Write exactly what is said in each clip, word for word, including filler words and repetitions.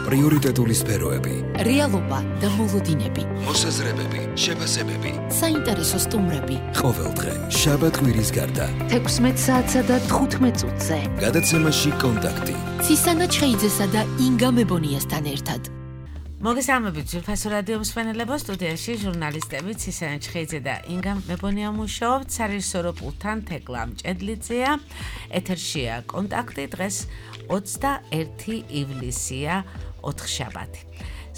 პრიორიტეტული სფეროები, რეალობა და მოლოდინები, მოსაზრებები, შეფასებები, საინტერესო სტუმრები. ყოველდღე შაბათ-კვირის გარდა თექვსმეტ საათსა და თხუთმეტ წუთზე. გადაცემაში კონტაქტი. ცისანა ჩხეიძესა და ინგა მებონიასთან ერთად. მოგესალმებით ძვირფასო რადიო მსმენელებო, სტუდიაში ჟურნალისტები ცისანა ჩხეიძე და ინგა მებონია მუშაობთ, სარეჟისორო პულტთან თეკლა მჭედლიძეა. ეთერშია კონტაქტი, დღეს ოცდაერთი ივლისია, ოთხშაბათი.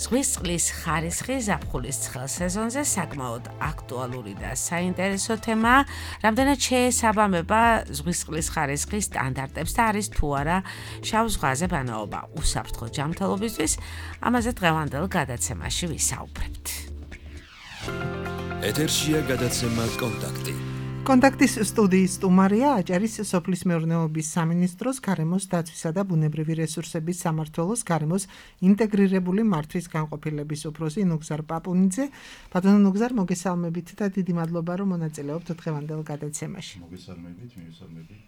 ზღვის წყლის ხარისხი ზაფხულის ცხელ სეზონზე საკმაოდ აქტუალური და საინტერესო თემაა. რამდენად შეესაბამება ზღვის წყლის ხარისხის სტანდარტებს და არის თუ არა შავ ზღვაზე ბანაობა უსაფრთხო ჯანმრთელობისთვის, ამაზე დღევანდელ გადაცემაში ვისაუბრებთ. ეთერშია გადაცემა კონტაქტი. კონტაქტის სტუდიის სტუმარია აჭარის სოფლის მეურნეობის სამინისტროს გარემოს დაცვისა და ბუნებრივი რესურსების სამმართველოს გარემოს ინტეგრირებული მართვის განყოფილების უფროსი ნუგზარ პაპუნიძე. ბატონო ნუგზარ, მოგესალმებით და დიდი მადლობა, რომ მონაწილეობთ დღევანდელ გადაცემაში. მოგესალმებით, მივესალმებით.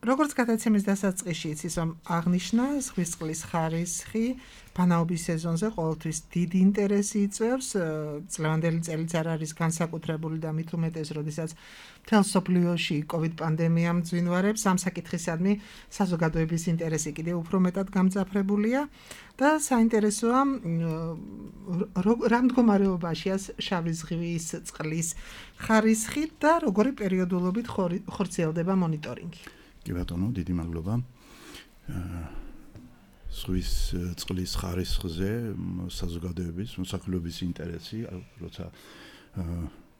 როგორც გადაცემის დასაწყისში იცის, რომ აღნიშნა ზღვის წყლის ხარისხი ბანაობის სეზონზე ყოველთვის დიდი ინტერესი იწვევს. წლევანდელი წელიც არ არის განსაკუთრებული და მით უმეტეს, როდესაც მთელ მსოფლიოში კოვიდ პანდემია მძვინვარებს, ამ საკითხისადმი საზოგადოების ინტერესი კიდევ უფრო მეტად გამძაფრებულია და საინტერესოა რა მდგომარეობაშია შავი ზღვის წყლის ხარისხი და როგორი პერიოდულობით ხორციელდება მონიტორინგი. კი ბატონო, დიდი მადლობა. ზღვის წყლის ხარისხზე საზოგადოების, მოსახლეობის ინტერესი, როცა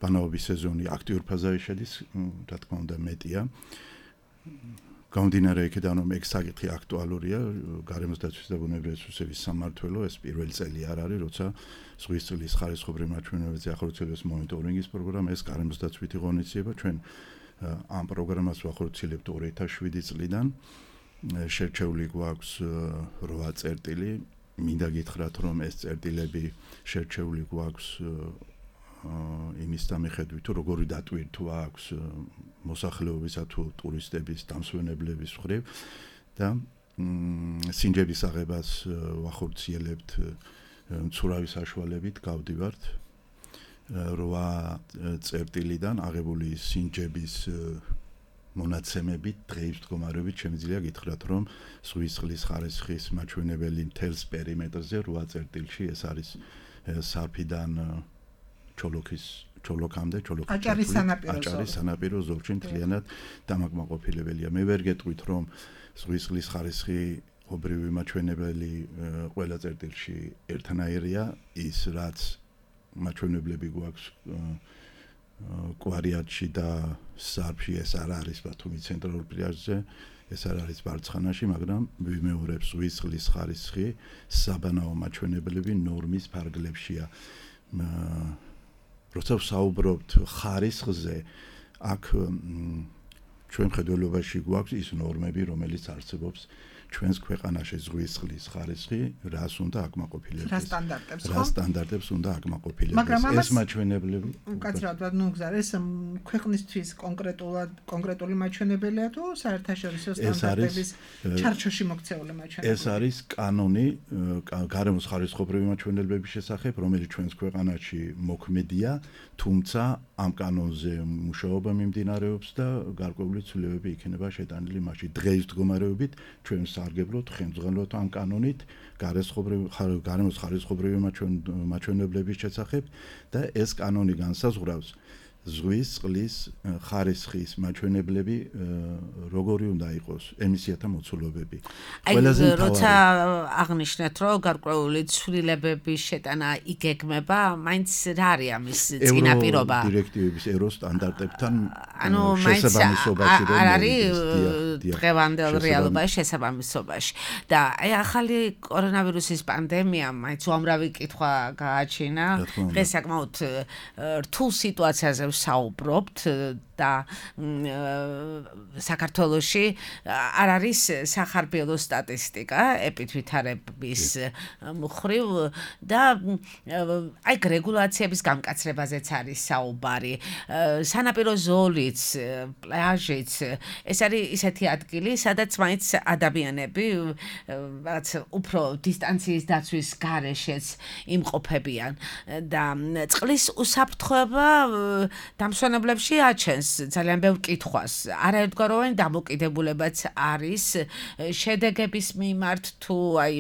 ბანაობის სეზონი აქტიურ ფაზაში შედის, რა თქმა უნდა, მეტია. გამომდინარე იქიდან, რომ ეგ საკითხი აქტუალურია, გარემოს დაცვის და ბუნებრივი რესურსების სამმართველო ეს პირველი წელი არ არის, როცა ზღვის წყლის ხარისხობრივ მაჩვენებებზე ახორციელებს მონიტორინგის პროგრამა, ეს გარემოს დაცვითი ღონისძიება, ჩვენ ამ პროგრამას ვახორციელებთ ორი ათას შვიდი წლიდან. შერჩეული გვაქვს რვა წერტილი. მინდა გითხრათ, რომ ეს წერტილები შერჩეული გვაქვს იმის დამიხედვით, თუ როგორი დატვირთვა აქვს მოსახლეობისა თუ ტურისტების, დამსვენებლების მხრივ და სინჯების აღებას ვახორციელებთ მცურავი საშუალებით, გავდივართ რვა წერტილიდან აღებული სინჯების მონაცემებით, დღეის მდგომარეობით შემიძლია გითხრათ, რომ ზღვის წყლის ხარისხის მაჩვენებელი მთელს პერიმეტრზე რვა წერტილში ეს არის სარფიდან ჩოლოქის ჩოლოქამდე, ჩოლოქის აჭარის სანაპირო ზოლი. აჭარის სანაპირო ზოლში მთლიანად დამაკმაყოფილებელია. მე ვერ გეტყვით, რომ ზღვის წყლის ხარისხი ობრივი მაჩვენებელი ყველა წერტილში ერთნაირია, ის რაც მაჩვენებლები გვაქვს კვარიატში და სარფში, ეს არ არის ბათუმის ცენტრალურ პლაჟზე, ეს არ არის ბარცხანაში, მაგრამ ვიმეორებს ზღვის წყლის ხარისხი საბანაო მაჩვენებლები ნორმის ფარგლებშია. როცა ვსაუბრობთ ხარისხზე, აქ ჩვენ მხედველობაში გვაქვს ის ნორმები, რომელიც არსებობს ჩვენს ქვეყანაში ზღვის წყლის ხარისხი, რას უნდა აკმაყოფილებს? რა სტანდარტებს, ხო? რა სტანდარტებს უნდა აკმაყოფილებს? ეს მაჩვენებლები. უკაცრავად ნუგზარ, ეს ქვეყნისთვის კონკრეტულად კონკრეტული მაჩვენებელია თუ საერთაშორისო სტანდარტების ჩარჩოში მოქცეული მაჩვენებელი? ეს არის კანონი გარემოს ხარისხობრივი მაჩვენებლების შესახებ, რომელიც ჩვენს ქვეყანაში მოქმედია, თუმცა ამ კანონზე მუშაობა მიმდინარეობს და გარკვეული ცვლილებები იქნება შეტანილი მასში. დღეის მდგომარეობით ჩვენ სარგებლობთ ხელმძღვანელობთ ამ კანონით გარემოს ხარისხობრივი მაჩვენებლების შესახებ და ეს კანონი განსაზღვრავს ზღვის წყლის ხარისხის მაჩვენებლები როგორი უნდა იყოს ემისიათა მოცულობები. ყველაზე როცა აღნიშნეთ, რომ გარკვეული ცვლილებების შეტანა იგეგმება, მაინც რა არის ამის წინაპირობა? ევრო დირექტივების ევრო სტანდარტებთან ანუ მაინც არ არის დღევანდელ რეალობაში შესაბამისობაში. და აი ახალი კორონავირუსის პანდემია მაინც უამრავი კითხვა გააჩინა. დღეს საკმაოდ რთულ სიტუაციაზე ვსაუბრობთ და საქართველოში არ არის სახარბიელო სტატისტიკა ეპიდვითარების მხრივ და აი რეგულაციების გამკაცრებაზეც არის საუბარი. სანაპირო ზოლიც, პლაჟიც, ეს არის ისეთი ადგილი, სადაც მაინც ადამიანები რაც უფრო დისტანციის დაცვის გარეშეც იმყოფებიან და წყლის უსაფრთხოება დამსვენებლებში აჩენს ძალიან ბევრ კითხვას. არაერთგვაროვანი დამოკიდებულებაც არის შედეგების მიმართ თუ აი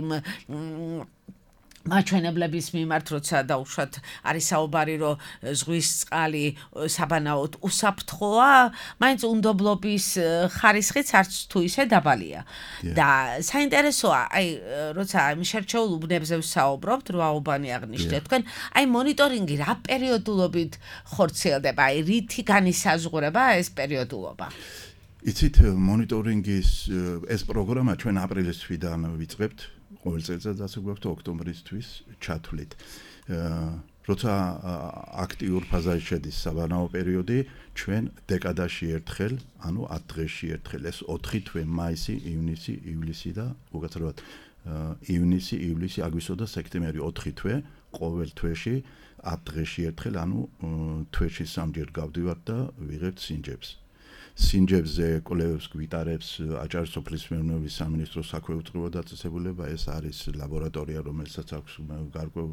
მაჩვენებლების მიმართ, როცა დაუშვათ არის საუბარი, რომ ზღვის წყალი საბანაოდ უსაფრთხოა, მაინც უნდობლობის ხარისხიც არც თუ ისე დაბალია. და საინტერესოა, აი, როცა შერჩეულ უბნებზე ვსაუბრობთ, რო აუბანი აღნიშნეთ თქვენ, აი მონიტორინგი რა პერიოდულობით ხორციელდება, აი რითი განისაზღვრება ეს პერიოდულობა? იცით, მონიტორინგის ეს პროგრამა ჩვენ აპრილის თვიდან ვიწყებთ. ყოველ წელიწადს ასე გვაქვს ოქტომბრისთვის ჩათვლით. როცა აქტიურ ფაზაში შედის საბანაო პერიოდი, ჩვენ დეკადაში ერთხელ, ანუ ათ დღეში ერთხელ, ეს ოთხი თვე, მაისი, ივნისი, ივლისი და უკაცრავად ივნისი, ივლისი, აგვისტო და სექტემბერი ოთხი თვე, ყოველ თვეში ათ დღეში ერთხელ, ანუ თვეში სამჯერ გავდივართ და ვიღებთ სინჯებს. სინჯებზე კვლევებს გვიტარებს აჭარის სოფლის მეურნეობის სამინისტროს საქვეუწყო უწყება დაწესებულება. ეს არის ლაბორატორია, რომელსაც აქვს გარკვეულ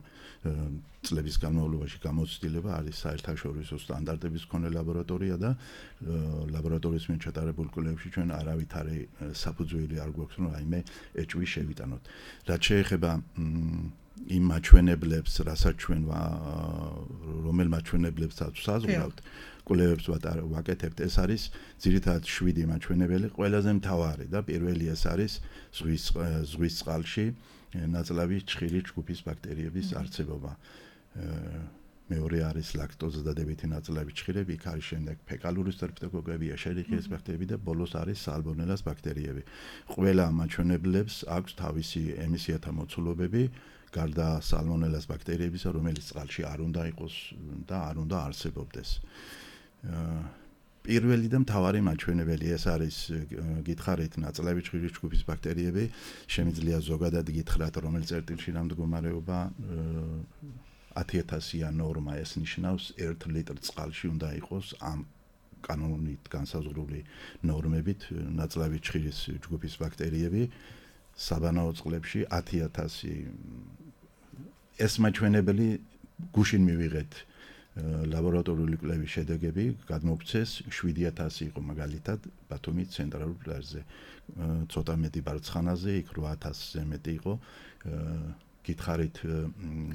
წლების განმავლობაში გამოცდილება, არის საერთაშორისო სტანდარტების მქონე ლაბორატორია და ლაბორატორიის მიერ ჩატარებულ კვლევებში ჩვენ არავითარი საფუძველი არ გვაქვს, რომ რაიმე ეჭვი შევიტანოთ. რაც შეეხება იმ მაჩვენებლებს, რასაც ჩვენ რომელ მაჩვენებლებსაც საზღვრავთ, კვლევებს ვაკეთებთ, ეს არის ძირითადად შვიდი მაჩვენებელი, ყველაზე მთავარი და პირველი ეს არის ზღვის ზღვის წყალში ნაწლავი ჭხირი ჯგუფის ბაქტერიების არსებობა. მეორე არის ლაქტოზა დადებითი ნაწლავი ჭხირები, იქ არის შემდეგ ფეკალური სტრეპტოკოკები, ეშერიხიეს ბაქტერიები და ბოლოს არის სალმონელას ბაქტერიები. ყველა მაჩვენებლებს აქვს თავისი ემისიათა მოცულობები, გარდა სალმონელას ბაქტერიებისა, რომელიც წყალში არ უნდა იყოს და არ უნდა არსებობდეს. პირველი და მთავარი მაჩვენებელი ეს არის გითხარით ნაწლავი ჭხირის ჯგუფის ბაქტერიები, შემიძლია ზოგადად გითხრათ, რომელ წერტილში რა მდგომარეობა ათი ათასია ნორმა, ეს ნიშნავს ერთ ლიტრ წყალში უნდა იყოს ამ კანონით განსაზღვრული ნორმებით ნაწლავი ჭხირის ჯგუფის ბაქტერიები, საბანაო წყლებში ათი ათასი. ეს მაჩვენებელი გუშინ მივიღეთ ლაბორატორიული კვლევის შედეგები, გადმოგცეს შვიდი ათასი იყო მაგალითად ბათუმის ცენტრალურ პლაჟზე, ცოტა მეტი ბარცხანაზე, იქ რვა ათასზე მეტი იყო. გითხარით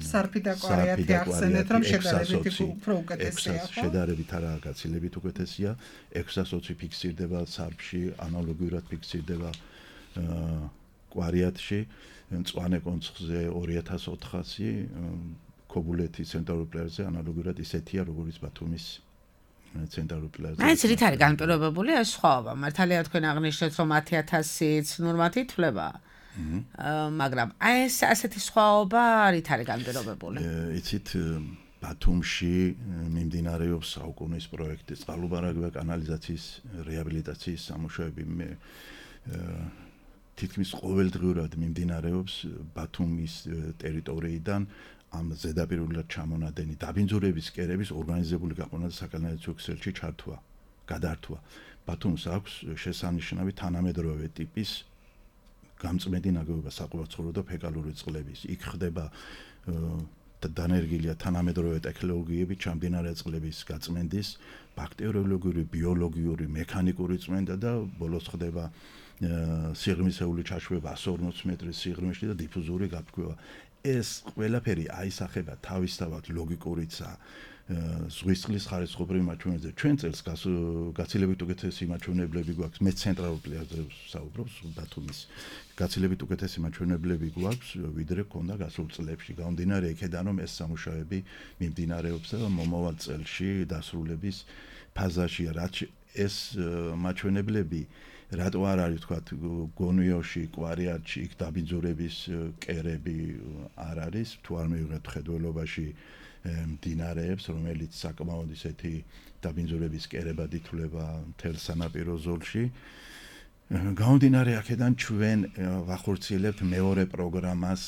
სარფი და კვარიათი ახსენეთ, რომ შედარებით უფრო უკეთესია, ხო? შედარებით არა, გაცილებით უკეთესია. ექვსას ოცი ფიქსირდება სარფში, ანალოგიურად ფიქსირდება კვარიათში, მწვანე კონცხზე ორი ათას ოთხასი, ქობულეთის ცენტრალურ პლაჟზე ანალოგიურად ისეთია, როგორც ბათუმის ცენტრალურ პლაჟზე. მაინც რით არის განპირობებული ეს სხვაობა? მართალია თქვენ აღნიშნეთ, რომ ათი ათასიც ნორმათი ითვლება. მაგრამ აი ეს ასეთი სხვაობა რით არის განპირობებული? იცით, ბათუმში მიმდინარეობს საუკუნის პროექტი, წყალუბარაგება კანალიზაციის რეაბილიტაციის სამუშაოები. თითქმის ყოველდღიურად მიმდინარეობს ბათუმის ტერიტორიიდან ამ ზედაპირულად ჩამონადენი დაბინძურების კერების ორგანიზებული გაყვანა და საკანალიზაციო ქსელში ჩართვა, გადართვა. ბათუმს აქვს შესანიშნავი თანამედროვე ტიპის გამწმენდი ნაგებობა საყოველთაოდ და ფეკალური წყლების. იქ ხდება დანერგილია თანამედროვე ტექნოლოგიები ჩამდინარე წყლების გაწმენდის, ბაქტერიოლოგიური, ბიოლოგიური, მექანიკური წმენდა და ბოლოს ხდება სიღრმისეული ჩაშვება ათს ორმოცი მეტრის სიღრმეში და დიფუზური გაფრქვევა. ეს ყველაფერი აისახება თავისთავად ლოგიკურიცა ზღვის წყლის ხარისხობრივ მაჩვენებლებზე. ჩვენ წელს გაცილებით უკეთესი მაჩვენებლები გვაქვს, მე ცენტრალურ პლაჟზე ვსაუბრობ, ბათუმის. გაცილებით უკეთესი მაჩვენებლები გვაქვს, ვიდრე ქონდა გასულ წლებში. გამომდინარე იქედან, რომ ეს სამუშაოები მიმდინარეობს და მომავალ წელში დასრულების ფაზაშია, რაც ეს მაჩვენებლები რატო არ არის თქვა გონიოში, კვარიათში, იქ დაბინძურების კერები არ არის, თუ არ მივიღეთ ხედველობაში მდინარეებს, რომელიც საკმაოდ ისეთი დაბინძურების კერებად ითვლება მთელ სანაპირო ზოლში. გამომდინარე აქედან ჩვენ ვახორციელებთ მეორე პროგრამას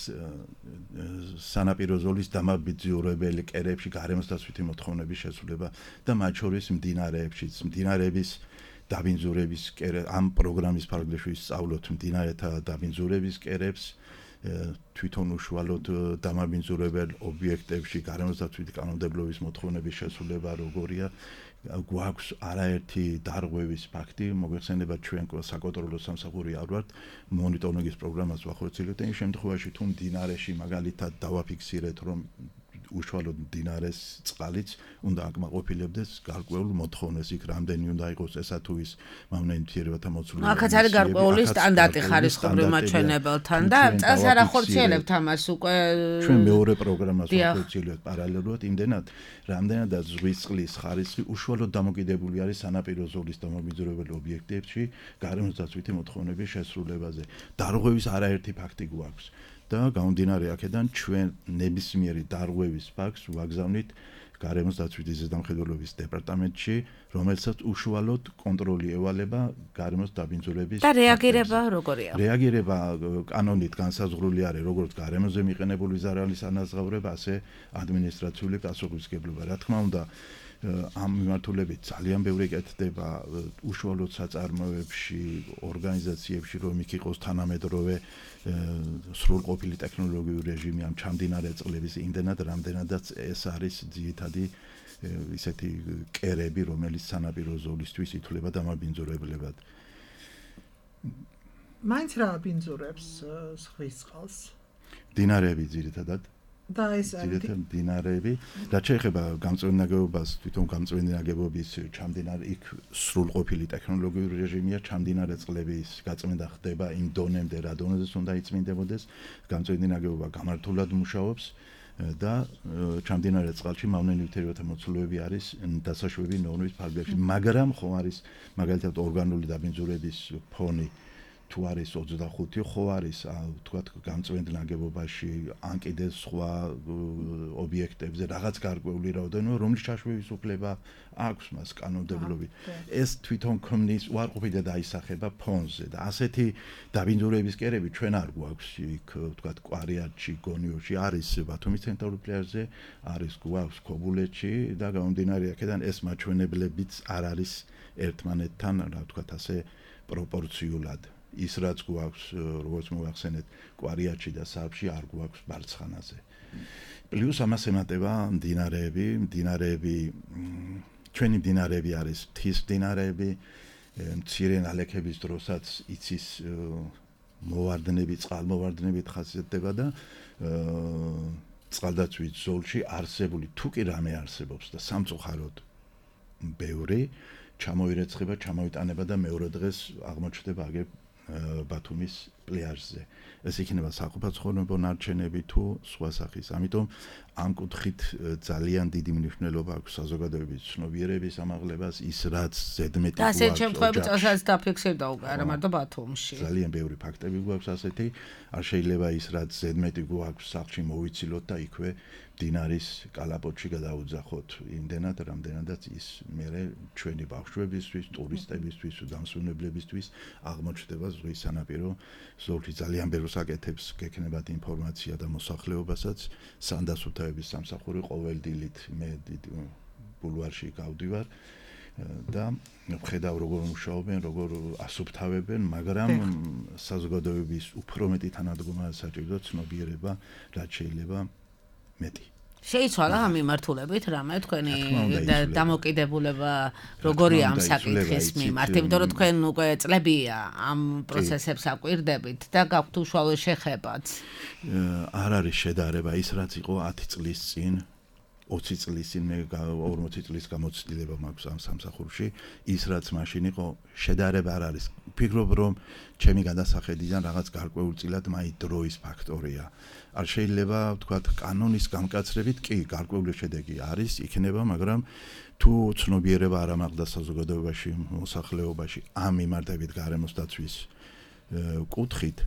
სანაპირო ზოლის დამაბინძურებელი კერებში გარემოსდაცვითი მოთხოვნების შესრულება და მათ შორის მდინარეებშიც მდინარეების დაბინძურების კერე ამ პროგრამის ფარგლებში სწავლობთ მდინარეთა დაბინძურების კერებს თვითონ უშუალოდ დამაბინძურებელ ობიექტებში გარემოსდაცვითი კანონმდებლობის მოთხოვნების შესრულება როგორია გვაქვს არაერთი დარღვევის ფაქტი მოგვეხსენება ჩვენ საკონტროლო სამსახური არ ვართ მონიტორინგის პროგრამას ვახორციელებთ იმ შემთხვევაში თუ მდინარეში მაგალითად დავაფიქსირეთ რომ უშუალოდ მდინარეს წყალიც უნდა აკმაყოფილებდეს გარკვეულ მოთხოვნას იქ რამდენი უნდა იყოს ესა თუ ის მავნენთიერებათა მოცულობა აქაც არის გარკვეული სტანდარტი ხარისხობრივ მაჩვენებელთან და წელს არ ახორციელებთ ამას უკვე ჩვენ მეორე პროგრამას ვახორციელებთ პარალელურად იმდენად რამდენადაც ზღვის წყლის ხარისხი უშუალოდ დამოკიდებული არის სანაპირო ზოლის დამაბინძურებელ ობიექტებში გარემოსდაცვითი მოთხოვნების შესრულებაზე დარღვევის არაერთი ფაქტი გვაქვს და გამომდინარე აქედან ჩვენ ნებისმიერი დარღვევის ფაქტს ვაგზავნით გარემოსდაცვითი ზედამხედველობის დეპარტამენტში, რომელსაც უშუალოდ კონტროლი ევალება გარემოს დაბინძურების და რეაგირება როგორია? რეაგირება კანონით განსაზღვრული არის როგორც გარემოზე მიყენებული ზარალის ანაზღაურება, ასე ადმინისტრაციული პასუხისმგებლობა. რა თქმა უნდა, ამ მიმართულებით ძალიან ბევრი კეთდება უშუალოდ საწარმოებში, ორგანიზაციებში, რომ იქ იყოს თანამედროვე სრულყოფილი ტექნოლოგიური რეჟიმი ამ ჩამდინარე წყლების იმდენად, რამდენადაც ეს არის ძირითადი ისეთი კერები, რომელიც სანაპირო ზოლისთვის ითვლება დამაბინძურებლებად. მაინც რა აბინძურებს ზღვის წყალს? მდინარეები ძირითადად და ეს არის მდინარეები, რაც შეეხება გამწვენე ნაგებობას, თვითონ გამწვენე ნაგებობის ჩამდინარე იქ სრულყოფილი ტექნოლოგიური რეჟიმია, ჩამდინარე წყლების გაწმენდა ხდება იმ დონემდე, რა დონეზეც უნდა იწმინდებოდეს, გამწვენე ნაგებობა გამართულად მუშაობს და ჩამდინარე წყალში მავნენივთიერებათა მოცულობები არის დასაშვები ნორმის ფარგლებში, მაგრამ ხო არის მაგალითად ორგანული დაბინძურების ფონი თუ არის ოცდახუთი, ხო არის თქვათ გამწვენე ნაგებობაში ან კიდე სხვა ობიექტებზე რაღაც გარკვეული რაოდენობა, რომლის ჩაშვების უფლება აქვს მას კანონმდებლობით. ეს თვითონ ქმნის უარყოფით და დაისახება ფონზე და ასეთი დაბინძურების კერები ჩვენ არ გვაქვს იქ თქვათ კვარიატში, გონიოში, არის ბათუმის ცენტრალურ პლაჟზე, არის გვაქვს ქობულეთში და გამომდინარე აქედან ეს მაჩვენებლებიც არ არის ერთმანეთთან, რა ვთქვათ ასე პროპორციულად. ის რაც გვაქვს, როგორც მოვახსენეთ, კვარიატში და სარფში არ გვაქვს ბარცხანაზე. პლუს ამას ემატება მდინარეები, მდინარეები, ჩვენი მდინარეები არის მთის მდინარეები, მცირე ნალექების დროსაც იცის მოვარდნები, წყალმოვარდნებით ხასიათდება და წყალდაცვის ზოლში არსებული თუ კი რამე არსებობს და სამწუხაროდ ბევრი ჩამოირეცხება, ჩამოიტანება და მეორე დღეს აღმოჩნდება აგერ ბათუმის პლაჟზე. ეს იქნება საყოფაცხოვრებო ნარჩენები თუ სხვა სახის. ამიტომ ამ კუთხით ძალიან დიდი მნიშვნელობა აქვს საზოგადოების ცნობიერების ამაღლებას, ის რაც ზედმეტი გვაქვს. ასეთ შემთხვევებში წელსაც დაფიქსირდა უკვე არა მარტო ბათუმში. ძალიან ბევრი ფაქტები გვაქვს ასეთი. არ შეიძლება ის რაც ზედმეტი გვაქვს სახლში მოვიცილოთ და იქვე მდინარის კალაპოტში გადაუძახოთ იმდენად, რამდენადაც ის მერე ჩვენი ბავშვებისთვის, ტურისტებისთვის, დამსვენებლებისთვის აღმოჩნდება ზღვის სანაპირო ზოლში. ძალიან ბევრ საკეთებს გექნებათ ინფორმაცია და მოსახლეობასაც სანდასუფთავების სამსახური ყოველდილით მე ბულვარში გავდივარ და ვხედავ როგორ მუშაობენ, როგორ ასუფთავებენ, მაგრამ საზოგადოების უფრო მეტი თანადგომა საჭიროა ცნობიერება, რაც შეიძლება მეტი. შეიცვალა ამ მიმართულებით რამე თქვენი დამოკიდებულება როგორია ამ საკითხის მიმართ, იმიტომ რომ თქვენ უკვე წლებია ამ პროცესებს აკვირდებით და გაქვთ უშუალო შეხებაც. არ არის შედარება ის რაც იყო ათი წლის წინ, ოცი წლის წინ მე ორმოცი წლის გამოცდილება მაქვს ამ სამსახურში, ის რაც მაშინ იყო შედარება არ არის. ვფიქრობ რომ ჩემი გადასახედიდან რაღაც გარკვეულწილად მაინც დროის ფაქტორია. არ შეიძლება ვთქვათ კანონის გამკაცრებით კი გარკვეული შედეგი არის, იქნება, მაგრამ თუ ცნობიერება არ ამაღლდა საზოგადოებაში, მოსახლეობაში ამ მიმართებით გარემოს დაცვის კუთხით,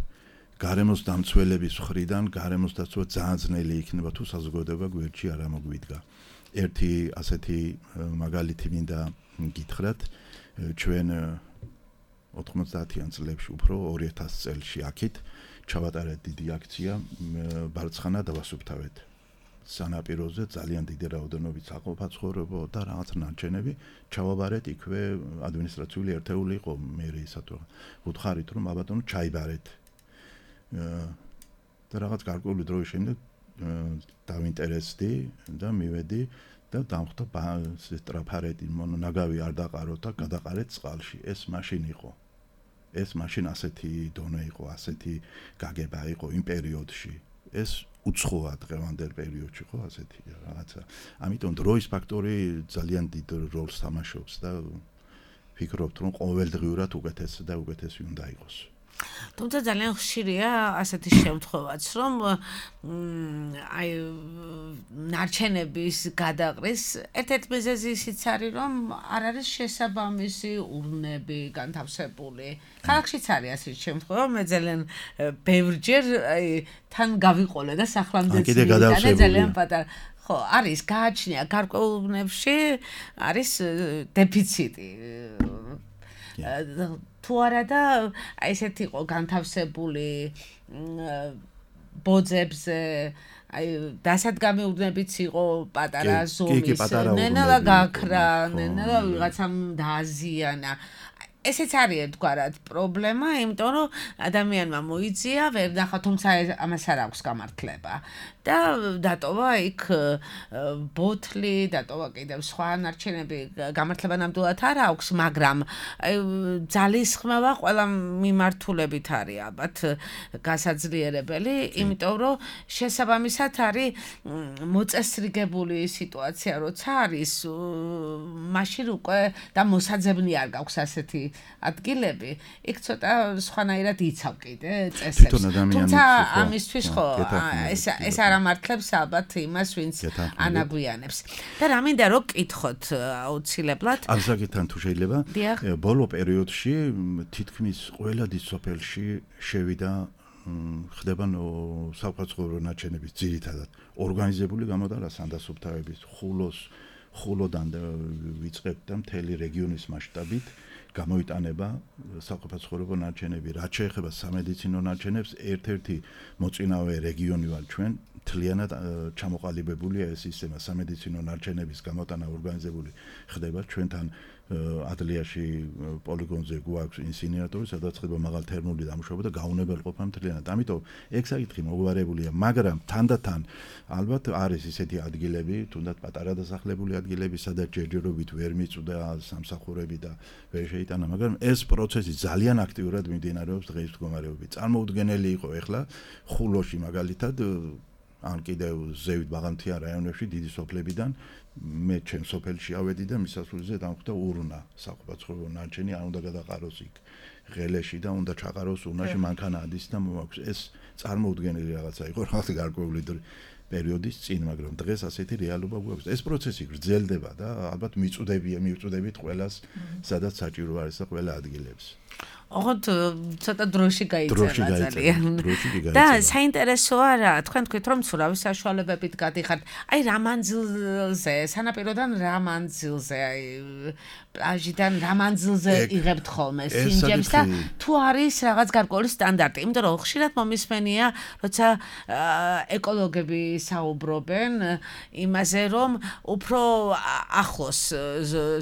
გარემოს დამცველების მხრიდან გარემოს დაცვა ძალიან ძნელი იქნება თუ საზოგადოება გვერდში არ ამოგვიდგა. ერთი ასეთი მაგალითი მინდა გითხრათ, ჩვენ ოთხმოცდაათიან წლებში უფრო ორი ათასი წელში აქეთ ჩავატარეთ დიდი აქცია ბარცხანა დავასუფთავეთ. სანაპიროზე ძალიან დიდი რაოდენობით საყოფაცხოვრებო და რაღაც ნარჩენები ჩავაბარეთ იქვე ადმინისტრაციული ერთეული იყო მერეისათვის. უთხარით რომ აბატონო ჩაიბარეთ. და რაღაც გარკვეული დროის შემდეგ დავინტერესდი და მივედი და დამხვდა ტრაფარეტი ნაგავი არ დაყაროთ და გადაყარეთ წყალში. ეს მაშინ იყო. ეს მაშინ ასეთი დონე იყო, ასეთი გაგება იყო იმ პერიოდში. ეს უცხოა დღევანდელ პერიოდში ხო ასეთი რაღაცა. ამიტომ დროის ფაქტორი ძალიან დიდ როლს თამაშობს და ფიქრობთ რომ ყოველდღიურად უკეთესი და უკეთესი უნდა იყოს. თუმცა ძალიან ხშირია ასეთი შემთხვევაც, რომ აი ნარჩენების გადაყრის ერთ-ერთი მიზეზი ისიც არის, რომ არ არის შესაბამისი ურნები განთავსებული. ქალაქშიც არის ასეთი შემთხვევა, მე ძალიან ბევრჯერ აი თან გავიყოლე და სახლამდეც ძალიან პატარა ხო, არის გააჩნია გარკვეულ ურნებში არის დეფიციტი. თუ არა და ესეთი იყო განთავსებული ბოძებზე აი დასადგამი ურნებიც იყო პატარა ზომის ნელა გაქრა ნელა ვიღაცამ დააზიანა ესეც არის ერთგვარად პრობლემა, იმიტომ რომ ადამიანმა მოიწია, ვერ ნახა, თუმცა ამას არ აქვს გამართლება. და დატოვა იქ ბოთლი, დატოვა კიდევ სხვა ნარჩენები, გამართლება ნამდვილად არ აქვს, მაგრამ ძალისხმევა ყველა მიმართულებით არის ალბათ გასაძლიერებელი, იმიტომ რომ შესაბამისად არის მოწესრიგებული სიტუაცია, როცა არის მაშინ უკვე და მოსაძებნი არ გაქვს ასეთი ადგილები, იქ ცოტა სხვანაირად იცავ კიდე წესებს. თუმცა ამისთვის ხო ეს ეს არ ამართლებს ალბათ იმას, ვინც ანაგვიანებს. და რა მინდა რომ კითხოთ აუცილებლად. ასაკიდან თუ შეიძლება, ბოლო პერიოდში თითქმის ყველა დიდ სოფელში შევიდა ხდება საყოფაცხოვრებო ნარჩენების ძირითადად ორგანიზებული გამოდარა სანდასუფთავების ხულოს ხულოდან ვიწყებთ და მთელი რეგიონის მასშტაბით გამოიტანება საყოფაცხოვრებო ნარჩენები. რაც შეეხება სამედიცინო ნარჩენებს, ერთ-ერთი მოწინავე რეგიონი ვარ ჩვენ, მთლიანად ჩამოყალიბებულია ეს სისტემა სამედიცინო ნარჩენების გამოტანა ორგანიზებული ხდება ჩვენთან ადლიაში პოლიგონზე გვაქვს ინსინერატორი, სადაც ხდება მაღალთერმული დამუშავება და გაუნებელყოფა მთლიანად. ამიტომ ეგ საკითხი მოგვარებულია, მაგრამ თანდათან ალბათ არის ისეთი ადგილები, თუნდაც პატარა დასახლებული ადგილები, სადაც ჯერჯერობით ვერ მიწვდა სამსახურები და ვერ შეიტანა, მაგრამ ეს პროცესი ძალიან აქტიურად მიმდინარეობს დღეს მდგომარეობით. წარმოუდგენელი იყო ეხლა ხულოში მაგალითად ან კიდევ ზევით ბაღანთიან რაიონებში დიდი სოფლებიდან მე ჩემ სოფელში ავედი და მისასვლელზე დამხვდა ურნა საყოფაცხოვრებო ნარჩენი არ უნდა გადაყაროს იქ ღელეში და უნდა ჩაყაროს ურნაში მანქანა ადის და მოაქვს ეს წარმოუდგენელი რაღაცა იყო რაღაც გარკვეული პერიოდის წინ, მაგრამ დღეს ასეთი რეალობა გვაქვს. ეს პროცესი გრძელდება და ალბათ მიწუდებია, მივწუდებით ყველას, სადაც საჭირო არის და ყველა ადგილებს. ოღონდ ცოტა დროში გაიწერა ძალიან. და საინტერესოა რა, თქვენ თქვით რომ ცურავი საშუალებებით გადიხართ. აი რა მანძილზე, სანაპიროდან რა მანძილზე, აი პლაჟიდან რა მანძილზე იღებთ ხოლმე სინჯებს და თუ არის რაღაც გარკვეული სტანდარტი, იმიტომ რომ ხშირად მომისმენია, როცა ეკოლოგები საუბრობენ იმაზე, რომ უფრო ახლოს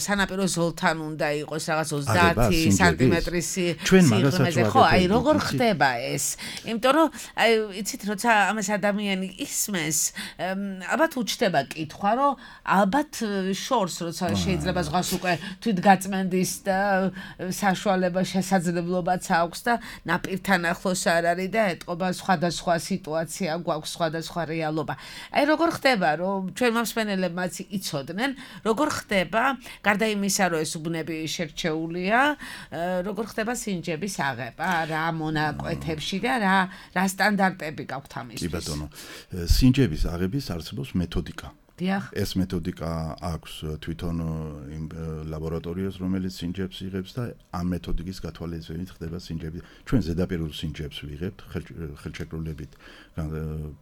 სანაპირო ზოლთან უნდა იყოს რაღაც ოცდაათი სანტიმეტრის სიღრმეზე. ხო, აი როგორ ხდება ეს? იმიტომ რომ აი იცით, როცა ამას ადამიანი ისმენს, ალბათ უჩნდება კითხვა, რომ ალბათ შორს როცა შეიძლება ზღვას უკვე თვითგაწმენდის და საშუალება შესაძლებლობაც აქვს და ნაპირთან ახლოს არ არის და ეტყობა სხვადასხვა სიტუაცია გვაქვს, სხვადასხვა რეალობა. აი როგორ ხდება, რომ ჩვენ მომსმენელებმაც იცოდნენ, როგორ ხდება, გარდა იმისა, რომ ეს უბნები შერჩეულია, როგორ ხდება სინჯების აღება, რა მონაკვეთებში და რა რა სტანდარტები გაქვთ ამისთვის? კი ბატონო, სინჯების აღების არსებობს მეთოდიკა. ეს მეთოდიკა აქვს თვითონ იმ ლაბორატორიას, რომელიც სინჯებს იღებს და ამ მეთოდიკის გათვალისწინებით ხდება სინჯები. ჩვენ ზედაპირულ სინჯებს ვიღებთ ხელშეკრულებით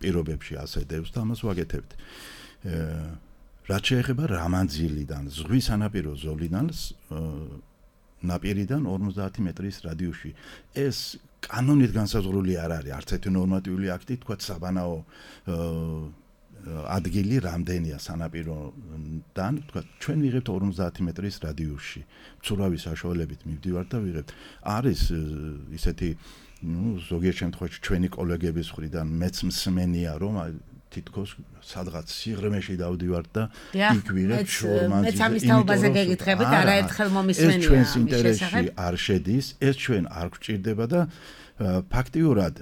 პირობებში ასედევს და ამას ვაკეთებთ. რაც შეეხება რამანძილიდან, ზღვის სანაპირო ზოლიდან ნაპირიდან ორმოცდაათი მეტრის რადიუსში. ეს კანონით განსაზღვრული არ არის, არც ერთი ნორმატიული აქტი, თქვა საბანაო ადგილი რამდენია სანაპიროდან, თქვა ჩვენ ვიღებთ ორმოცდაათი მეტრის რადიუსში. მცურავი საშუალებით მივდივართ და ვიღებთ. არის ისეთი, ну, ზოგიერთ შემთხვევაში ჩვენი კოლეგების მხრიდან მეც მსმენია, რომ თითქოს სადღაც სიღრმეში დავდივართ და იქ ვიღებ შორმანძილზე. მეც ამის თაობაზე გეკითხებით, არაერთხელ მომისმენია. ეს ჩვენს ინტერესში არ შედის, ეს ჩვენ არ გვჭირდება და ფაქტიურად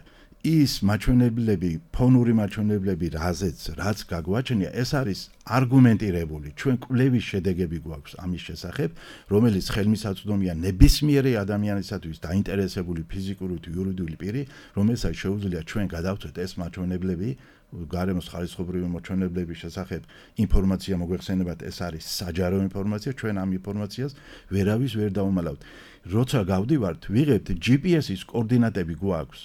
ის მაჩვენებლები, ფონური მაჩვენებლები, რაზეც რაც გაგვაჩნია, ეს არის არგუმენტირებული. ჩვენ კვლევის შედეგები გვაქვს ამის შესახებ, რომელიც ხელმისაწვდომია ნებისმიერი ადამიანისათვის დაინტერესებული ფიზიკური თუ იურიდიული პირი, რომელსაც შეუძლია ჩვენ გადავწყვეტ ეს მაჩვენებლები გარემოს ხარისხობრივი მოჩვენებლების შესახებ ინფორმაცია მოგვეხსენებათ, ეს არის საჯარო ინფორმაცია, ჩვენ ამ ინფორმაციას ვერავის ვერ დავუმალავთ. როცა გავდივართ, ვიღებთ ჯი პი ეს-ის კოორდინატები გვაქვს.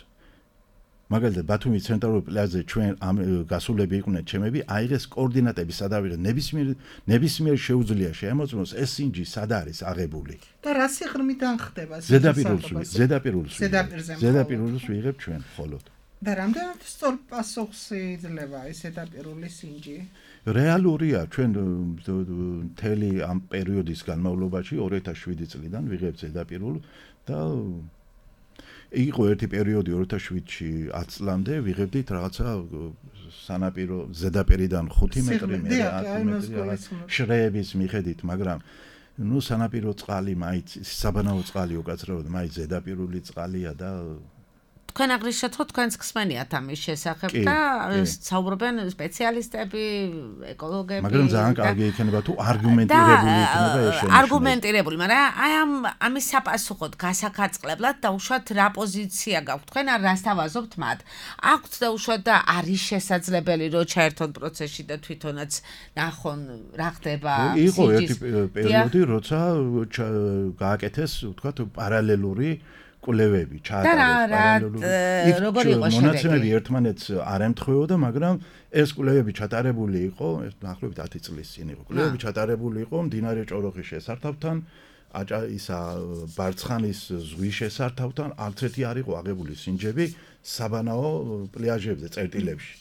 მაგალითად, ბათუმის ცენტრალურ პლაჟზე ჩვენ ამ გასულები იყვნენ ჩემები, აიღეს კოორდინატები სადავიღეთ, ნებისმიერ ნებისმიერ შეუძლია შეემოწმოს ეს სინჯი სად არის აღებული. და რა სიღრმიდან ხდება? ზედაპირულს, ზედაპირულს. ზედაპირზე. ზედაპირულს ვიღებ ჩვენ მხოლოდ. და რამდენად სწორ პასუხს იძლევა ეს ზედაპირული სინჯი? რეალურია, ჩვენ მთელი ამ პერიოდის განმავლობაში ორი ათას შვიდი წლიდან ვიღებთ ზედაპირულ და იყო ერთი პერიოდი ორი ათას შვიდში ათ წლამდე ვიღებდით რაღაცა სანაპირო ზედაპირიდან ხუთი მეტრი მე ათი მეტრი შრეების მიხედით, მაგრამ ნუ სანაპირო წყალი მაინც საბანაო წყალი უკაცრავად მაინც ზედაპირული წყალია და თქვენ აღნიშნეთ, რომ თქვენს ხსმენიათ ამის შესახებ და საუბრობენ სპეციალისტები, ეკოლოგები. მაგრამ ძალიან კარგი იქნება თუ არგუმენტირებული იქნება ეს შენიშნება. არგუმენტირებული, მაგრამ აი ამ ამის საპასუხოდ გასახარწყლებლად და უშუალოდ რა პოზიცია გაქვთ თქვენ, არ რას თავაზობთ მათ? აქვთ და უშუალოდ და არის შესაძლებელი რომ ჩაერთონ პროცესში და თვითონაც ნახონ რა ხდება სინჯის. იყო ერთი პერიოდი, როცა გააკეთეს, ვთქვათ, პარალელური კვლევები ჩაატარეს პარალელური მონაცემები ერთმანეთს არ ემთხვეოდა, მაგრამ ეს კვლევები ჩატარებული იყო, ეს დაახლოებით ათი წლის წინ იყო. კვლევები ჩატარებული იყო მდინარე ჭოროხის შესართავთან, აჭა ისა ბარცხანის ზღვის შესართავთან, არც ერთი არ იყო აღებული სინჯები საბანაო პლაჟებზე, წერტილებში.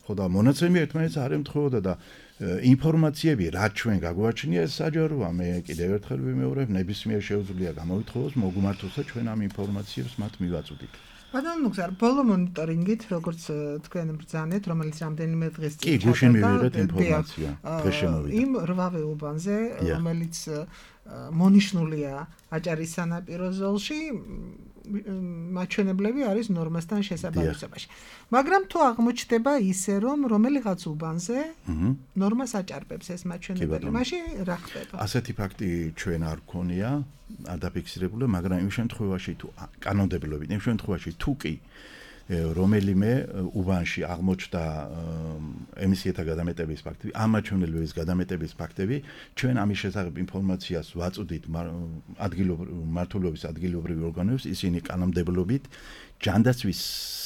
ხო და მონაცემები ერთმანეთს არ ემთხვეოდა და ინფორმაციები რაც ჩვენ გაგვაჩნია ეს საჯაროა, მე კიდევ ერთხელ ვიმეორებ, ნებისმიერ შეუძლია გამოვითხოვოს, მოგუმართოს და ჩვენ ამ ინფორმაციებს მათ მივაწვდით. ბატონო მუხზარ, ბოლო მონიტორინგით, როგორც თქვენ ბრძანეთ, რომელიც რამდენიმე დღეს წინ ჩატარდა. კი, გუშინ მივიღეთ ინფორმაცია, დღეს შემოვიდა. იმ რვავე უბანზე, რომელიც მონიშნულია აჭარის სანაპირო ზოლში, მაჩვენებლები არის ნორმასთან შესაბამისობაში. მაგრამ თუ აღმოჩნდება ისე, რომ რომელიღაც უბანზე ნორმას აჭარბებს ეს მაჩვენებელი, მაშინ რა ხდება? ასეთი ფაქტი ჩვენ არ გქონია, არ დაფიქსირებული, მაგრამ იმ შემთხვევაში თუ კანონმდებლობით, იმ შემთხვევაში თუ კი რომელიმე უბანში აღმოჩნდა ემისიათა გადამეტების ფაქტები, ამ მაჩვენებლების გადამეტების ფაქტები, ჩვენ ამის შესახებ ინფორმაციას ვაწვდით ადგილობრივი ადგილობრივი ორგანოებს, ისინი კანონმდებლობით ჯანდაცვის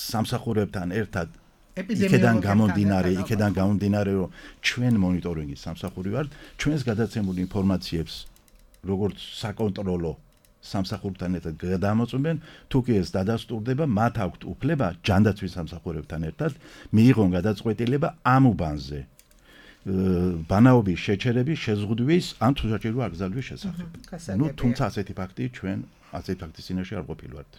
სამსახურებთან ერთად იქედან გამომდინარე, იქედან გამომდინარე, რომ ჩვენ მონიტორინგის სამსახური ვართ, ჩვენს გადაცემულ ინფორმაციებს როგორც საკონტროლო სამსახურთან ერთად გადამოწმენ, თუ კი ეს დადასტურდება, მათ აქვთ უფლება ჯანდაცვის სამსახურებთან ერთად მიიღონ გადაწყვეტილება ამ უბანზე ბანაობის შეჩერების, შეზღუდვის ან თუ საჭირო აკრძალვის შესახებ. ნუ თუმცა ასეთი ფაქტი ჩვენ ასეთი ფაქტის წინაშე არ ყოფილვართ.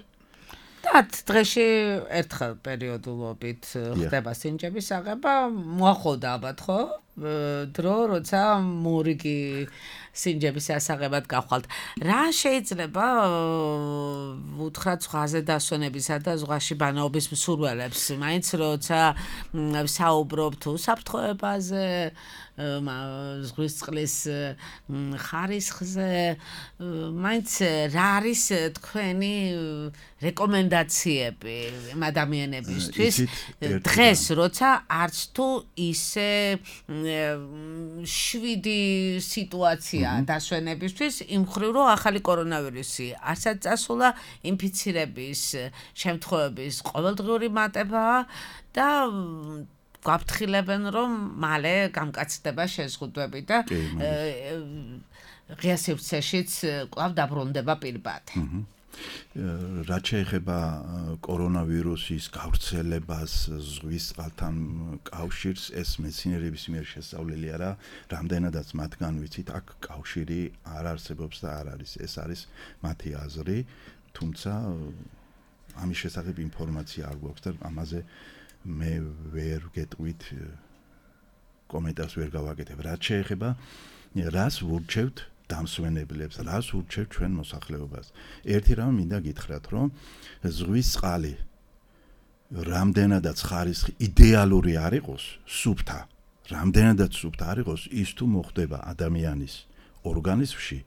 და დღეში ერთხელ პერიოდულობით ხდება სინჯების აღება, მოახოდა ალბათ ხო? დრო, როცა მორიგი სინჯების ასაღებად გავხვალთ. რა შეიძლება უთხრათ ზღვაზე დასვენებისა და ზღვაში ბანაობის მსურველებს, მაინც როცა საუბრობთ უსაფრთხოებაზე, ზღვის წყლის ხარისხზე, მაინც რა არის თქვენი რეკომენდაციები ადამიანებისთვის დღეს, როცა არც თუ ისე შვიდი სიტუაცია დასვენებისთვის, იმ ხრივ რომ ახალი კორონავირუსი არცად წასულა, ინფიცირების შემთხვევების ყოველდღიური მატებაა და გვაფრთხილებენ, რომ მალე გამკაცდება შეზღუდვები და ღია სივრცეშიც კვლავ დაბრუნდება პირბადე. რაც შეეხება კორონავირუსის გავრცელებას ზღვის წყალთან კავშირს, ეს მეცნიერების მიერ შესწავლილი არა, რამდენადაც მათგან ვიცით, აქ კავშირი არ არსებობს და არ არის. ეს არის მათი აზრი, თუმცა ამის შესახებ ინფორმაცია არ გვაქვს და ამაზე მე ვერ გეტყვით კომენტარს ვერ გავაკეთებ. რაც შეეხება რას ვურჩევთ დამსვენებლებს, რას ვურჩევთ ჩვენ მოსახლეობას. ერთი რამ მინდა გითხრათ, რომ ზღვის წყალი რამდენადაც ხარისხი იდეალური არ იყოს, სუფთა, რამდენადაც სუფთა არ იყოს, ის თუ მოხდება ადამიანის ორგანიზმში,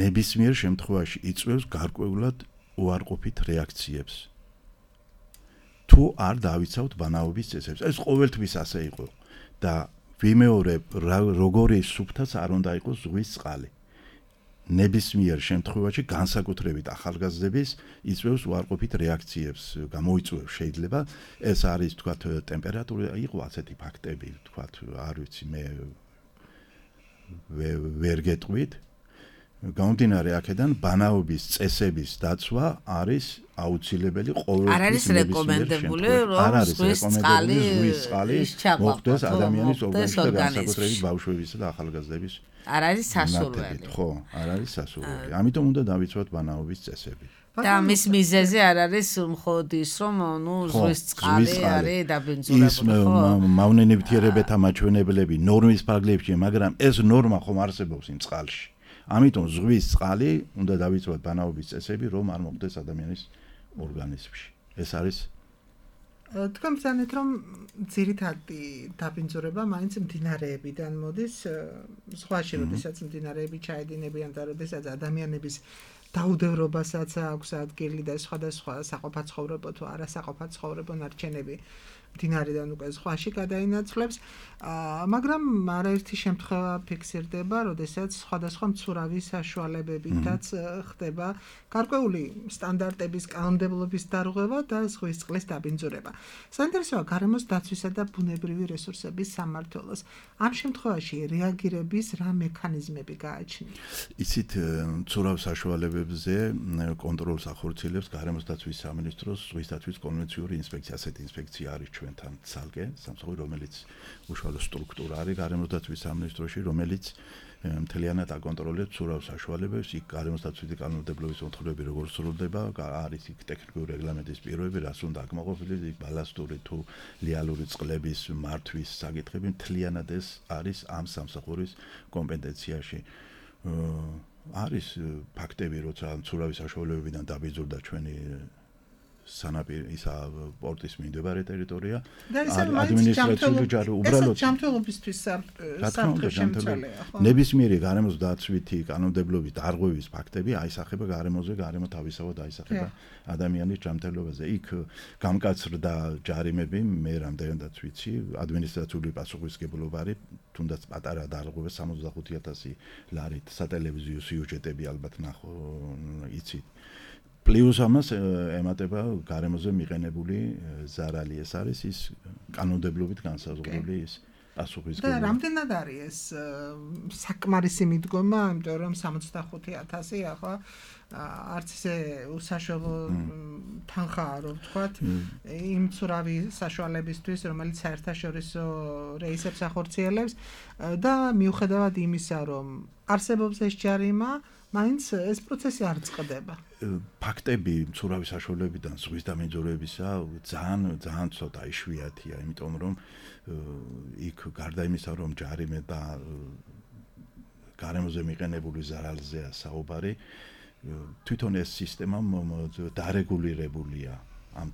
ნებისმიერ შემთხვევაში იწვევს გარკვეულად უარყოფით რეაქციებს. თუ არ დავიცავთ ბანაობის წესებს. ეს ყოველთვის ასე იყო და ვიმეორებ, როგორი სუფთაც არ უნდა იყოს ზღვის წყალი. ნებისმიერ შემთხვევაში განსაკუთრებით ახალგაზრდების იწვევს უარყოფით რეაქციებს, გამოიწვევს შეიძლება. ეს არის თქვათ ტემპერატურა, იყო ასეთი ფაქტები, თქვათ, არ ვიცი, მე ვერ გეტყვით. გამომდინარე აქედან ბანაობის წესების დაცვა არის აუცილებელი ყოველთვის. არ არის რეკომენდებული, რომ ზღვის წყალი მოხდეს ადამიანის ორგანიზმში და განსაკუთრებით ბავშვებისა და ახალგაზრდების. არ არის სასურველი. ხო, არ არის სასურველი. ამიტომ უნდა დავიცვათ ბანაობის წესები. და მის მიზეზი არ არის მხოლოდ ის, რომ ნუ ზღვის წყალი არის დაბინძურებული, ხო? ის მავნენებითიერებათა მაჩვენებლები ნორმის ფარგლებში, მაგრამ ეს ნორმა ხომ არსებობს იმ წყალში. ამიტომ ზღვის წყალი უნდა დავიცვათ ბანაობის წესები, რომ არ მოხდეს ადამიანის ორგანიზმში. ეს არის თქვენ ბრძანეთ, რომ ძირითადი დაბინძურება მაინც მდინარეებიდან მოდის, ზღვაში, როდესაც მდინარეები ჩაედინებიან და როდესაც ადამიანების დაუდევრობასაც აქვს ადგილი და სხვადასხვა საყოფაცხოვრებო თუ არასაყოფაცხოვრებო ნარჩენები მდინარიდან უკვე ზღვაში გადაინაცვლებს, მაგრამ არაერთი შემთხვევა ფიქსირდება, როდესაც სხვადასხვა მცურავი საშუალებებითაც ხდება გარკვეული სტანდარტების კანონმდებლობის დარღვევა და ზღვის წყლის დაბინძურება. საინტერესოა გარემოს დაცვისა და ბუნებრივი რესურსების სამმართველოს ამ შემთხვევაში რეაგირების რა მექანიზმები გააჩნია? იცით, მცურავ საშუალებებზე კონტროლს ახორციელებს გარემოს დაცვის სამინისტროს ზღვის დაცვის კონვენციური ინსპექცია. ასეთი ინსპექცია არის ჩვენთან ცალკე სამსახური, რომელიც უშუალო სტრუქტურა არის გარემოს დაცვის სამინისტროში, რომელიც მთლიანად აკონტროლებს მცურავ საშუალებებს, იქ გარემოს დაცვითი კანონმდებლობის მოთხოვნები როგორ სრულდება, არის იქ ტექნიკური რეგლამენტის პირობები, რას უნდა აკმაყოფილოს, იქ ბალასტური თუ ლიალური წყლების მართვის საკითხები, მთლიანად ეს არის ამ სამსახურის კომპეტენციაში. არის ფაქტები, როცა მცურავი საშუალებებიდან დაბინძურდა ჩვენი სანაპირო ისა პორტის მიმდებარე ტერიტორია, ადმინისტრაციული ჯარი უბრალოდ ჯანმრთელობისთვის საფრთხე შემცველია, ხო? ნებისმიერი გარემოს დაცვითი კანონმდებლობის დარღვევის ფაქტები აისახება გარემოზე, გარემო თავისავად აისახება ადამიანის ჯანმრთელობაზე. იქ გამკაცრდა ჯარიმები, მე რამდენადაც ვიცი, ადმინისტრაციული პასუხისმგებლობა არის, თუნდაც პატარა დარღვევა სამოცდახუთი ათასი ლარით, სატელევიზიო სიუჟეტები ალბათ ნახო, იცით. პლუს ამას ემატება გარემოზე მიყენებული ზარალი. ეს არის ის კანონმდებლობით განსაზღვრული ის პასუხისმგებლობა. და რამდენად არის ეს საკმარისი მიდგომა, იმიტომ რომ სამოცდახუთი ათასი ახლა არც ისე უსაშუალო თანხაა, რომ ვთქვათ, იმ მცურავი საშუალებისთვის, რომელიც საერთაშორისო რეისებს ახორციელებს და მიუხედავად იმისა, რომ არსებობს ეს ჯარიმა, მაინც ეს პროცესი არ წყდება. ფაქტები მცურავი საშუალებიდან ზღვის დამინძურებისა ძალიან ძალიან ცოტა იშვიათია, იმიტომ რომ იქ გარდა იმისა, რომ ჯარიმე და გარემოზე მიყენებული ზარალზეა საუბარი. თვითონ ეს სისტემა დარეგულირებულია ამ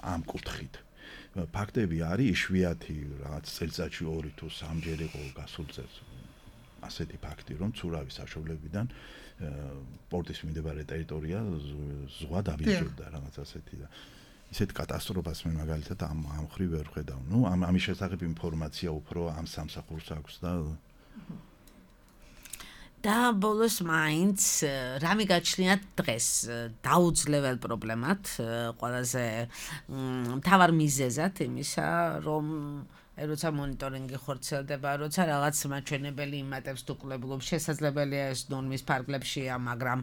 ამ კუთხით. ფაქტები არის იშვიათი, რაღაც წელიწადში ორი თუ სამჯერ იყო გასულ წელს ასეთი ფაქტი, რომ ცურავის საშუალებიდან პორტის მიმდებარე ტერიტორია ზღვა დავიჯერდა რაღაც ასეთი და ისეთ კატასტროფას მე მაგალითად ამ ამ ხრივ ვერ ხედავ. ნუ ამ ამის შესახებ ინფორმაცია უფრო ამ სამსახურს აქვს და და ბოლოს მაინც რა მიგაჩნიათ დღეს დაუძლებელ პრობლემად, ყველაზე მთავარ მიზეზად იმისა, რომ როცა მონიტორინგი ხორციელდება, როცა რაღაც მაჩვენებელი იმატებს თუ კლებულობს, შესაძლებელია ეს ნორმის ფარგლებშია, მაგრამ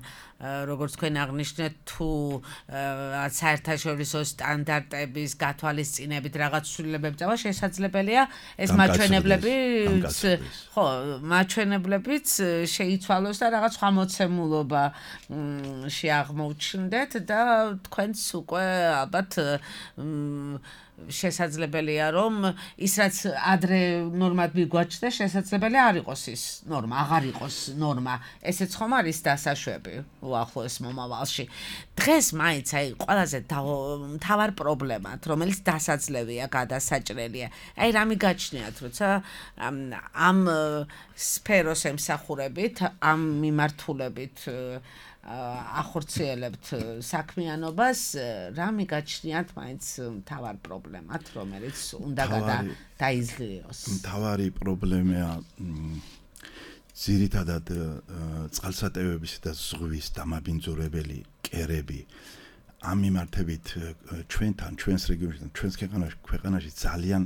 როგორც თქვენ აღნიშნეთ, თუ საერთაშორისო სტანდარტების გათვალისწინებით რაღაც ცვლილებები წავა, შესაძლებელია ეს მაჩვენებლები, ხო, მაჩვენებლებიც შეიცვალოს და რაღაც სხვა მოცემულობა შეაღმოვჩნდეთ და თქვენც უკვე ალბათ შესაძლებელია რომ ის რაც ადრე ნორმად მიგვაჩნდა შესაძლებელია არ იყოს ის ნორმა, აღარ იყოს ნორმა. ესეც ხომ არის დასაშვები უახლოეს მომავალში. დღეს მაინც აი ყველაზე მთავარ პრობლემად, რომელიც დასაძლევია, გადასაჭრელია. აი რა მიგაჩნიათ, როცა ამ სფეროს ემსახურებით, ამ მიმართულებით ახორციელებთ საქმიანობას, რა მიგაჩნიათ მაინც მთავარ პრობლემად, რომელიც უნდა დაიზლიოს. მთავარი პრობლემაა ძირითადად წყალსატევების და ზღვის დამაბინძურებელი კერები. ამ მიმართებით ჩვენთან, ჩვენს რეგიონში, ჩვენს ქვეყანაში ძალიან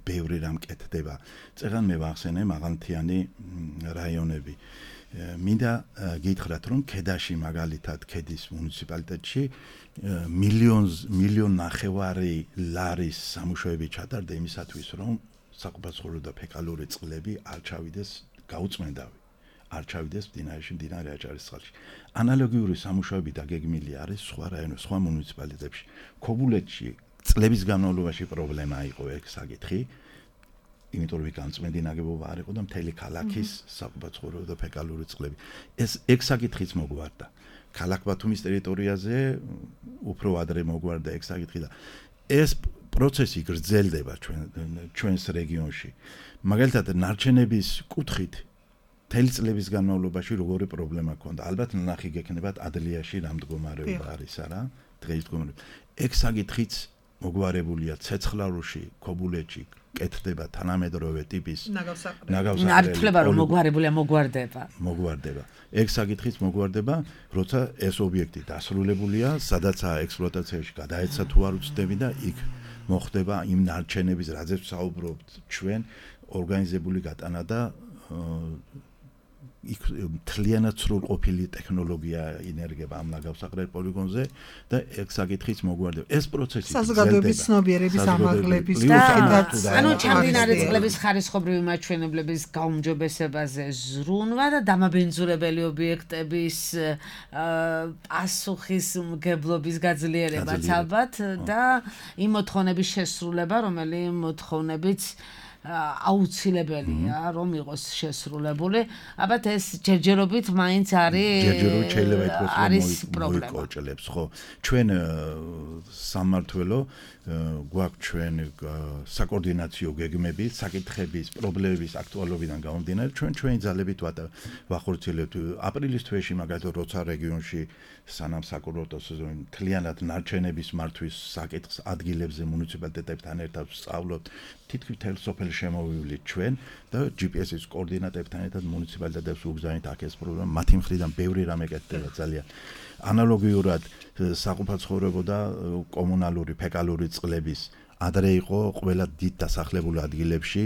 ბევრი რამ კეთდება. წერან მე ვახსენე მაღალმთიანი რაიონები. მინდა გითხრათ, რომ ქედაში მაგალითად ქედის მუნიციპალიტეტში მილიონს მილიონ ნახევარი ლარის სამუშაოები ჩატარდა იმისათვის, რომ საყოფაცხოვრებო და ფეკალური წყლები არ ჩავიდეს გაუწმენდავი, არ ჩავიდეს მდინარეში, მდინარე აჭარისწყალში. ანალოგიური სამუშაოები დაგეგმილი არის სხვა რაიონებში, სხვა მუნიციპალიტეტებში. ქობულეთში წლების განმავლობაში პრობლემა იყო ეგ საკითხი. იმიტომ რომ განწმენდი ნაგებობა არ იყო და მთელი ქალაქის საყოფაცხოვრებო და ფეკალური წყლები. ეს ეგ საკითხიც მოგვარდა. ქალაქ ბათუმის ტერიტორიაზე უფრო ადრე მოგვარდა ეგ საკითხი და ეს პროცესი გრძელდება ჩვენ ჩვენს რეგიონში. მაგალითად ნარჩენების კუთხით მთელი წლების განმავლობაში როგორი პრობლემა ჰქონდა. ალბათ ნახი გექნებათ ადლიაში რა მდგომარეობა არის, არა? დღეს მდგომარეობა. ეგ საკითხიც მოგვარებულია ცეცხლარუში, ქობულეთში კეთდება თანამედროვე ტიპის ნაგავსაყრელი. ნართლება რომ მოგვარებულია, მოგვარდება. მოგვარდება. ეგ საკითხიც მოგვარდება, როცა ეს ობიექტი დასრულებულია, სადაცაა ექსპლუატაციაში გადაეცა თუ არ უცდები და იქ მოხდება იმ ნარჩენების, რაზეც საუბრობთ ჩვენ, ორგანიზებული გატანა და იქ მთლიანად სრულყოფილი ტექნოლოგია ინერგება ამ ნაგავსაყრელ პოლიგონზე და ეგ საკითხიც მოგვარდება. ეს პროცესი საზოგადოების ცნობიერების ამაღლების და ანუ ჩამდინარე წყლების ხარისხობრივი მაჩვენებლების გაუმჯობესებაზე ზრუნვა და დამაბინძურებელი ობიექტების პასუხისმგებლობის გაძლიერებაც ალბათ და იმ მოთხოვნების შესრულება, რომელიც მოთხოვნებიც აუცილებელია რომ იყოს შესრულებული. ალბათ ეს ჯერჯერობით მაინც არის ჯერჯერობით შეიძლება ითქვას რომ მოიკოჭლებს, ხო? ჩვენ სამმართველო გვაქვს ჩვენ საკოორდინაციო გეგმები, საკითხების, პრობლემების აქტუალობიდან გამომდინარე, ჩვენ ჩვენი ძალებით ვახორციელებთ. აპრილის თვეში მაგალითად როცა რეგიონში სანამ საკურორტო სეზონი მთლიანად ნარჩენების მართვის საკითხს ადგილებზე მუნიციპალიტეტებთან ერთად ვსწავლობთ. თითქმის მთელ სოფელში შემოვივლით ჩვენ და ჯი პი ეს-ის კოორდინატორებთან ერთად მუნიციპალიტეტებს უგზავნით აქ ეს პრობლემა. მათი მხრიდან ბევრი რამე კეთდება ძალიან. ანალოგიურად საყოფაცხოვრებო და კომუნალური ფეკალური წყლების ადრე იყო ყველა დიდ დასახლებულ ადგილებში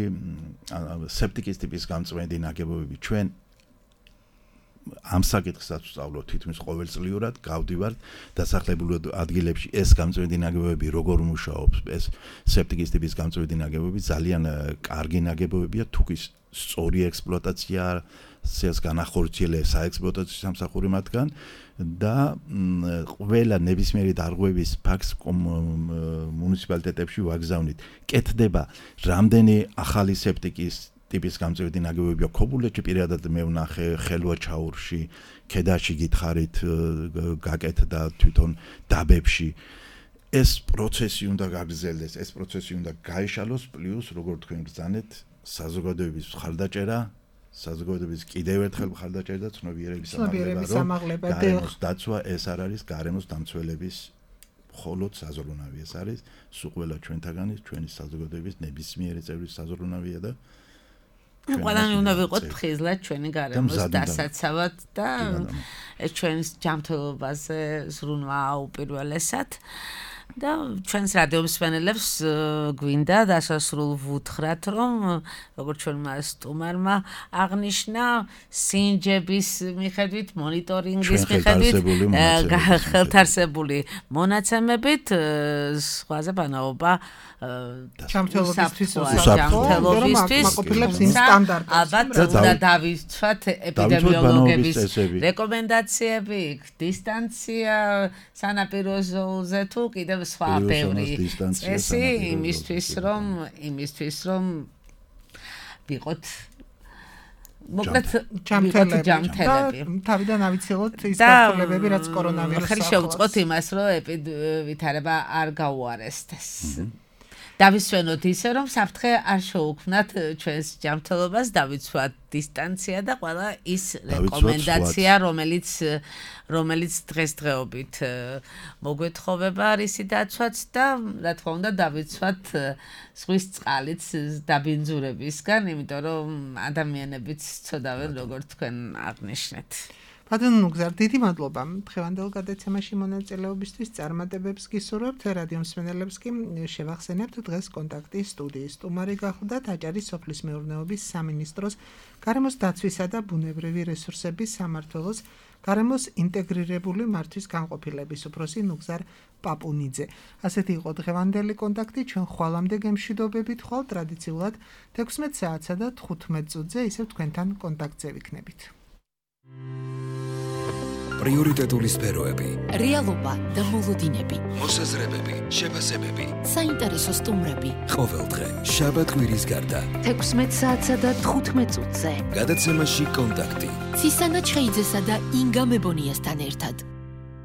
სეპტიკის ტიპის გამწვენდი ნაგებობები. ჩვენ ამ საკითხსაც ვსწავლობთ თითქმის ყოველწლიურად, გავდივართ დასახლებულ ადგილებში ეს გამწვენდი ნაგებობები როგორ მუშაობს, ეს სეპტიკის ტიპის გამწვენდი ნაგებობები ძალიან კარგი ნაგებობებია, თუკის სწორი ექსპლუატაცია სეს განახორციელებს საექსპლუატაციო სამსახური მათგან და ყველა ნებისმიერი დარღვევის ფაქტს მუნიციპალიტეტებში ვაგზავნით. კეთდება რამდენი ახალი სეპტიკის ტიპის გამწევდი ნაგებობებია ქობულეთში, პირადად მე ვნახე ხელვაჩაურში, ქედაში გითხარით გაკეთდა თვითონ დაბებში. ეს პროცესი უნდა გაგრძელდეს, ეს პროცესი უნდა გაეშალოს, პლუს როგორ თქვენ ბრძანეთ, საზოგადოების მხარდაჭერა, საზოგადოების კიდევ ერთხელ მხარდაჭერა და ცნობიერების ამაღლება, გარემოს დაცვა, ეს არ არის გარემოს დამცველების მხოლოდ საზრუნავი, ეს არის სულ ყველა ჩვენთაგანის, ჩვენი საზოგადოების ნებისმიერი წევრის საზრუნავია და ყველანი უნდა ვიყოთ ფხიზლად ჩვენი გარემოს დასაცავად და ეს ჩვენს ჯანმრთელობაზე ზრუნვა უპირველესად. და ჩვენს რადიო მსმენელებს გვინდა დასასრულ ვუთხრათ, რომ როგორც ჩვენმა სტუმარმა აღნიშნა, სინჯების მიხედვით, მონიტორინგის მიხედვით, ხელთარსებული მონაცემებით, სხვაზე ბანაობა ჯანმრთელობისთვის ჯანმრთელობისთვის ალბათ უნდა დავიცვათ ეპიდემიოლოგების რეკომენდაციები, დისტანცია სანაპირო ზოლზე თუ კიდევ სხვა ბევრი წესი იმისთვის რომ იმისთვის რომ ვიყოთ მოკლედ ჯანმრთელები თავიდან ავიცილოთ ის გაფრთხილებები რაც კორონავირუსს ხელი შევწყოთ იმას რომ ვითარება არ გაუარესდეს დავისვენოთ ისე რომ საფრთხე არ შეუქმნათ ჩვენს ჯანმრთელობას დავიცვათ დისტანცია და ყველა ის რეკომენდაცია რომელიც რომელიც დღესდღეობით მოგვეთხოვება რისი დაცვაც და რა თქმა უნდა დავიცვათ ზღვის წყალიც დაბინძურებისგან იმიტომ რომ ადამიანებიც ცოდავენ როგორც თქვენ აღნიშნეთ ბატონო ნუგზარ, დიდი მადლობა. დღევანდელ გადაცემაში მონაწილეობისთვის წარმატებებს გისურვებთ. რადიო მსმენელებს კი შევახსენებთ დღეს კონტაქტის სტუდიის სტუმარი გახლდათ აჭარის სოფლის მეურნეობის სამინისტროს გარემოს დაცვისა და ბუნებრივი რესურსების სამმართველოს გარემოს ინტეგრირებული მართვის განყოფილების უფროსი ნუგზარ პაპუნიძე. ასეთი იყო დღევანდელი კონტაქტი. ჩვენ ხვალამდე გემშვიდობებით ხვალ ტრადიციულად თექვსმეტ საათსა და თხუთმეტ წუთზე ისევ თქვენთან კონტაქტზე ვიქნებით. პრიორიტეტული სფეროები, რეალობა და მოლოდინები, მოსაზრებები, შეფასებები, საინტერესო სტუმრები. ყოველდღე შაბათ კვირის გარდა თექვსმეტ საათსა და თხუთმეტ წუთზე. გადაცემაში კონტაქტი. ცისანა ჩხეიძესა და ინგა მებონიასთან ერთად.